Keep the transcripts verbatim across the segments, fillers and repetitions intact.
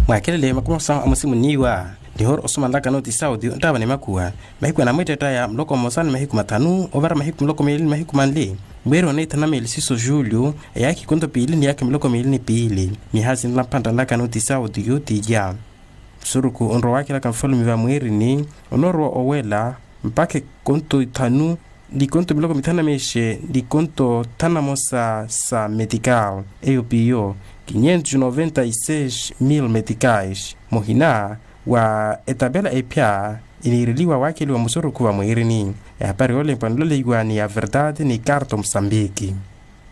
Mwaakelele makumi osa amusimuniwa. Nihoora osumanlaka nooti sauti onttaava ni makhuwa, mahiku anamweettettaya muloko mmosa ni mahiku mathanu ovara mahiku muloko miili ni mahiku manli. Mweeri oneethanameli siso julio, eyaakha ikonto piili ni yaakha miloko miili ni piili. Mihaasi nla mphanttannlaka nooti sauti yootiya. Musurukhu onrowa waakelaka nfalume va mweerini, onoorowa owela mpakha ikonto ithanu ni ikonto miloko mithanu na meexe ni ikonto thanu na mosa sa metikal, eyo piyo quinhentos e noventa e seis mil metikais. Muhina wa etapela ephya iniireliwa waakeliwa musurukhu va mweerini. Ehapari yoolempwa nloleiwa ni ya verdade ni karto musambiki.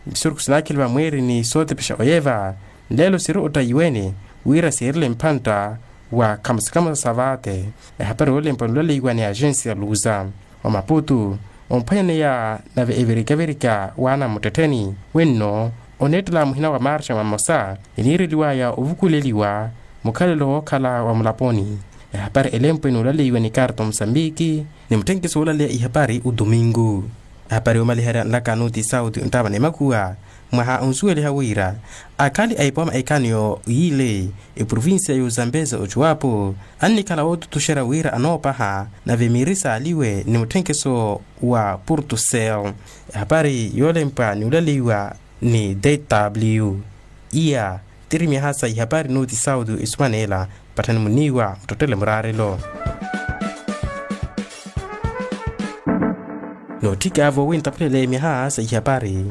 Misurukhu sinaakheliwa mweerini sootepexa oyeva nleelo siri ottayiwene wira siirele mphantta wa khamusikhamusa sa vaate. Ehapari yoolempwa nloleiwa ni agensi ya luza omaputu omphwanyaneya nave evirikavirika waana mmuttettheni wenno oneettela muhina wa marxa mamosa eniireliwaya ovukuleliwa mukhalelo wookhala wa mulaponi. Ehapari elempwe nuulaleiwa ni karto musambiki ni mutthenkiso woolaleya ihapari otumingu. Ehapari yoomaliherya nlaka nuuti sauti onttaava ni makhuwa mwaha onsuweliha wira akhali a ipooma ekaniyo yiile eprovincia y'ozambeza ocuwapo annikhala wootutuxerya wira anoopaha nave miiri saaliwe ni mutthenkiso wa portucel. Ehapari yoolempwa ni olaleiwa ni dw iya tiri myaha sa ihapari nuuti sauti esumaneela. Patthani muniiwa muttottele muraarelo. Nootthikaavo wi ntaphulele myaha sa ihapari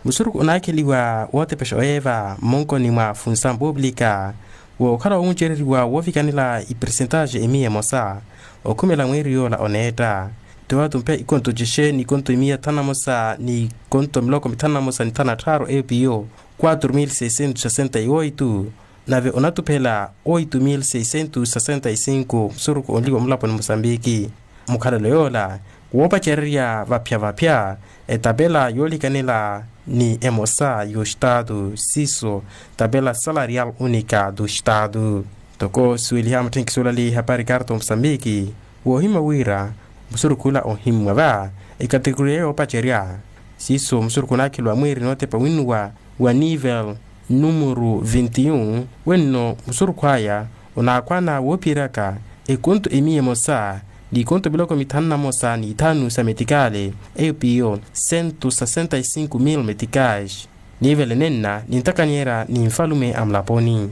musurukhu onaakheliwa wootepexa oyeeva mmonkoni mwa funsamu puuplika wookhala wowuncereriwa woovikanela ipersentaxe emiya emosa okhumela mweeri yoola oneetta. Tiwatumphe ikonto cexe ni ikonto emiya thanu na mosa ni ikonto miloko mithanu na mosa ni thanu na tthaaru eyo piyo quatro mil seiscentos sessenta e oito nave onatuphela oito mil seiscentos sessenta e cinco musurukhu onliwa mulaponi musambiki. Mukhalelo yoola woopacererya vaphya-vaphya etapela yoolikanela ni emosa y'oxitaatu siiso tapela salarial unica do xitaatu. Ntoko suweliha mutthenkiso olali hapari karto musambiki woohimya wira musurukhu ola ohimmwa va ekatekoria yoopacerya siiso musurukhu onaakheliwa mweeri nootepa winnuwa wa nivel numuru vinti un wenno musurukhu aya onaakhwana woophiyeryaka ekonto emiya emosa ni ikonto miloko mithanu na mosa ni ithanu sa metikale eyo piyo sentu sasenta e sinku mil metikais. Nivel enenna nintakanyerya ni nfalume a mulaponi.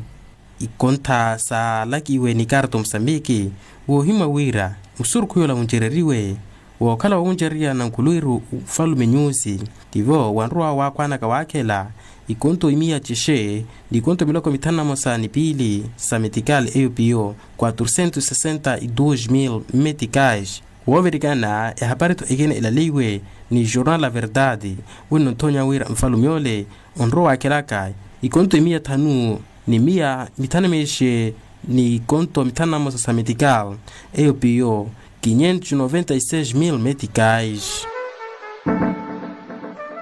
Ikontha saalakiwe ni karto musambiki woohimya wira musurukhu yoola wuncereriwe wookhala wowuncererya nankhuluwiru ufalume nyusi tivo wanrowa waakhwanaka waakhela ikonto imiya cexe ni ikonto miloko mithanu na mosa ni piili sa metikali eyo piyo quatro centos sessenta e dos mil metikais. Woovirikana ehapari-tho ekina elaleiwe ni jornal la verdade wenno nthonya wira nfalume ole onrowa waakhelaka ikonto imiya thanu ni miya mithanu na meexe ni ikonto mithanu na mosa sa metikal eyo piyo quinhentos noventa e seis mil metikais.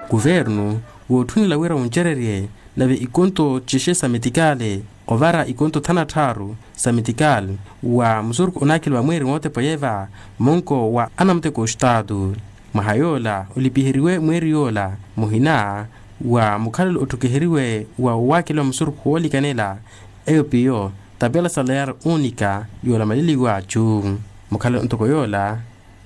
Kuvernu wootthunela wira wuncererye nave ikonto cexe sa metikale ovara ikonto thanu na tthaaru sa metikale wa musurukhu onaakheliwa mweeri mootepa yeeva monko wa anamuteko oxitaatu. Mwaha yoola olipiheriwe mweeri yoola muhina wa mukhalelo otthukiheriwe wa owaakheliwa musurukhu woolikanela eyo piyo tapela salarial unica yoola maleliwa achu. Mukhalelo ntoko yoola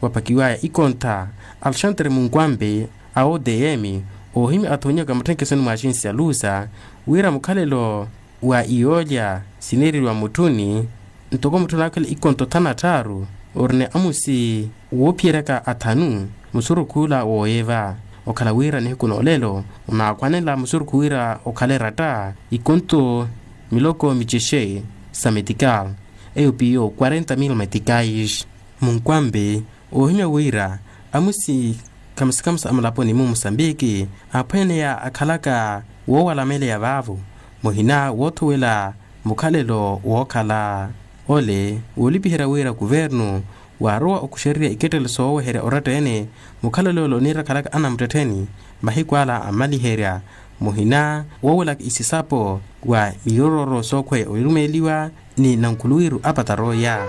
waphakiwaya ikontha alexandre munkwambe a odm oohimya athoonyaka mutthenkesoni mwa axinsi ya lusa wira mukhalelo wa iyoolya sineereriwa mutthuni ntoko mutthuni akhwela ikonto thanu na tthaaru orina amusi woophiyeryaka athanu musurukhu ola wooyeva okhala wira nihiku noolelo onaakhwanela musurukhu wira okhale eratta ikonto miloko micexe sa metikal eyo piyo quarenta mil metikais. Munkwambe oohimya wira amusi khamusikhamusi a mulaponi mu musambiki aaphweneya akhalaka woowalameleya vaavo muhina woothowela mukhalelo wookhala ole woolipiherya wira kuvernu waarowa okuxererya ikettelelo sooweherya oratta-ene mukhalelo ole oniira akhalaka anamuttettheni mahiku ala ammaliherya muhina woowelaka isisapo wa miyororo sookhweya orumeeliwa ni nankhuluwiru a pataroya.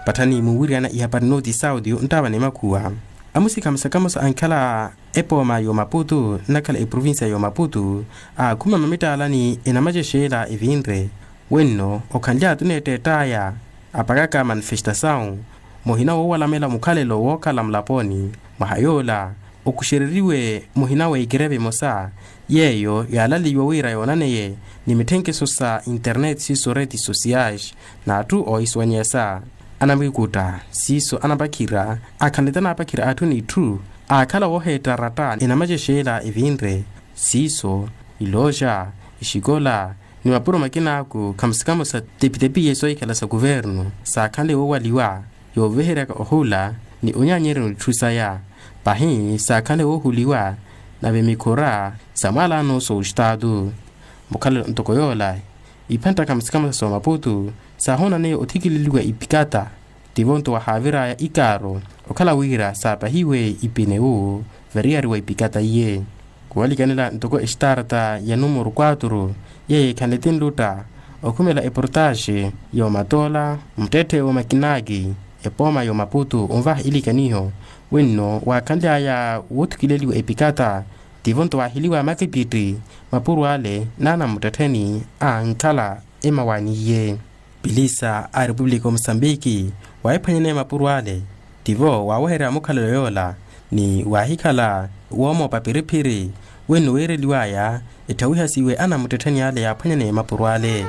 Patthani muuwiryana ihapari nooti sauti onttaava ni makhuwa Amusi khamusa khamusa ankhala epooma y'omaputu nnakhala eprovincia y'omaputu, aakhuma mamitaalani enamacexeela evinre. Wenno okhanly'atthu neettett'aya apakaka manifestasawu muhina woowalamela mukhalelo wookhala mulaponi. Mwaha yoola okuxereriwe muhina w'ekirevi emosa yeeyo yaalaliwa wira yoonaneye ni mitthenkeso sa internet siiso redes sociais. N'atthu oohisuwanyesa anamwikutta siiso anapakhira akhanlete anaapakhira atthu n'itthu aakhala wooheetta aratta enamacexeela evinre. Siiso ilooxa, exikola ni mapuro makinaaku khamusi khamusa tepitepi iye soohikhala sa kuvernu saakhanle woowaliwa yooveheryaka ohula ni onyaanyerya n'itthu saya. Pahi saakhanle woohuliwa nave mikhura sa mwaalano s'ostaatu. Mukhalelo ntoko yoola iphantta khamusi khamusa s'omaputu saahoonaniye othikileliwa ipikata. Tivo nto wahaavir'aya ikaaro okhala wira saapahiwe ipinewu variyari wa ipikata iye. Kuwalikanela ntoko exitaarata ya numero quatro yeeyo ekhanle tinlutta okhumela eportaxe y'omatoola muttetthe w'omakinaki epooma y'omaputu onvaha ilikaniho. Wenno waakhanly'aya woothukileliwa epikata tivo nto waahiliwa makipiti mapuro ale n'anamuttettheni ankhala emawaani iye. Pilisa a repupulika o musambiki waahiphwanyaneya mapuro ale tivo waaweherya mukhalelo yoola ni waahikhala woomoopa piriphiri wenno weereliw'aya etthawihasiwe anamuttettheni ale yaaphwanyaneya mapuro ale.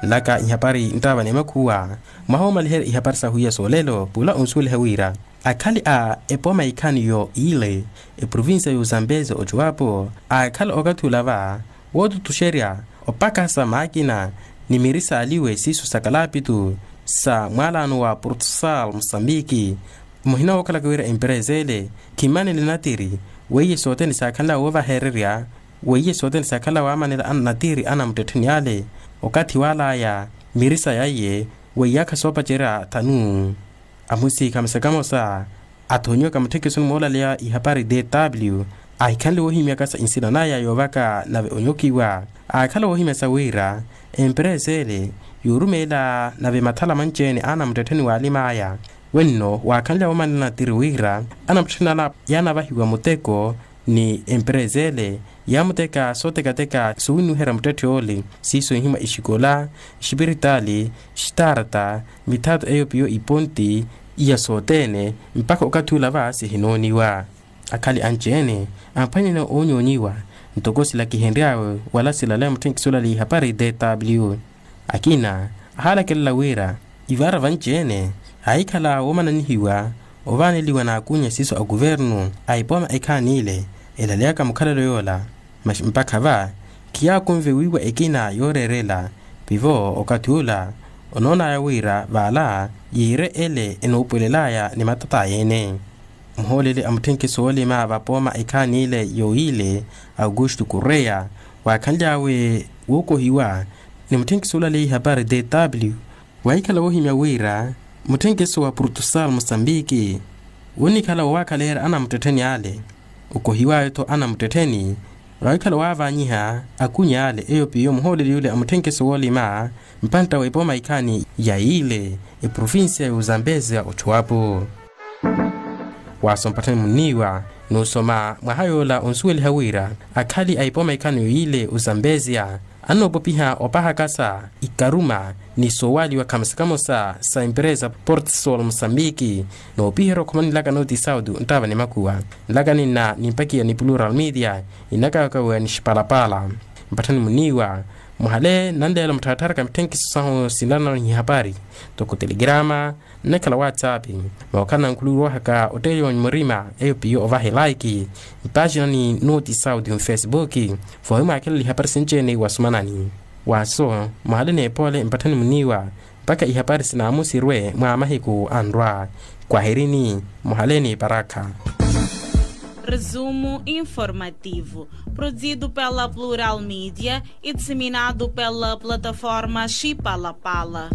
Nlaka ihapari nttaava n'emakhuwa mwaha woomaliherya ihapari sahu iya soolelo pula onsuweliha wira akhali a epooma ikhani yo ile eprovincia y'ozambezi ocuwapo aakhala okathi ula va wootutuxerya opakasa maakina ni miri saaliwe siiso sa kalapitu sa mwaalano wa portugal musambiki. Muhina wookhalaka wira empereza ele khimanele natiri weiye sothene saakhanla woovahererya weiye sothene saakhanla waamanela natiri anamuttettheni ale okathi waalaya miri saya iye weiyaakha soopacerya thanu. Amusi khamosa khamosa athoonyiwaka mutthekesoni moolaleya ihapari dw ahikhanle woohimyaka sa nsina naya yoovaka nave onyokiwa aakhala woohimya sa wira emperesa ele yoorumeela nave mathala manci-ene anamuttettheni waalim'aya. Wenno waakhanle woomanela natiri wira anamuttettheni ala yaanavahiwa muteko ni emperesa ele yaamuteka sootekateka soowinuherya muttetthe ole siiso ihimwa exikola, exipiritaali, exitaarata, mithato eyo piyo iponti iya sothene mpakha okathi ula va sihinooniwa. Akhali anci-ene amphwanyene oonyoonyiwa ntoko silakihenry'awe wala silaleya mutthenkisi olaleya ihapari dw akina ahaalakelela wira ivaara vanci-ene aahikhala woomananihiwa ovaaneliwa n'akunya siiso a kuvernu a epooma ekhaani ile elaleyaka mukhalelo yoola. Masi mpakha va khiyaakunve wiiwa ekina yooreerela pivo okathi ula onoon'aya wira vaala yiire ele enoopwelel'aya ni matat'aya-ene. Muhooleli a mutthenkiso woolima vapooma ekhaani ile yooyile augusto correia waakhanly'awe wookohiwa ni mutthenkiso olaleya ihapari dw waahikhala woohimya wira mutthenkiso wa portugal musambiki woonikhala woowaakhalerya anamuttettheni ale okohiw'awe-tho anamuttettheni waahikhala waavaanyiha akunya ale eyo piyo muhooleli yule a mutthenkiso woolima mpantta w'epooma ikhaani ya ile eprovincia y'ozambezia ochuwapo. Waasompatthani munniiwa n'usoma mwaha yoola onsuweliha wira akhali a epooma ikhaani yoyile ozambezia annoopopiha opahakasa ikaruma ni soowaaliwa khamosa khamosa sa emperesa portsol musambiki noopiherya okhumanilaka noti sauti nttaava ni makuwa. Nlaka ninna nimpakiya ni plural media inakawakawiwa ni xipalapala. Mpatthani muniiwa muhale nanleela muttharatharaka mitthenkiso sahu sinlanano ni ihapari toko telegrama nnekhala whatsapp mookhala nankhuluwihaka otteeliwa murima eyo piyo ovaha elaiki mpaxina ni noti sauti mfacebook. Voohimwaakhelela ihapari sinci-ene wasumanani waaso muhale n'epoole mpatthani muniiwa mpakha ihapari sinaamusirwe mwa mahiku anrwa. Kwaherini muhale ni parakha. Resumo informativo, produzido pela Plural Mídia e disseminado pela plataforma Xipalapala.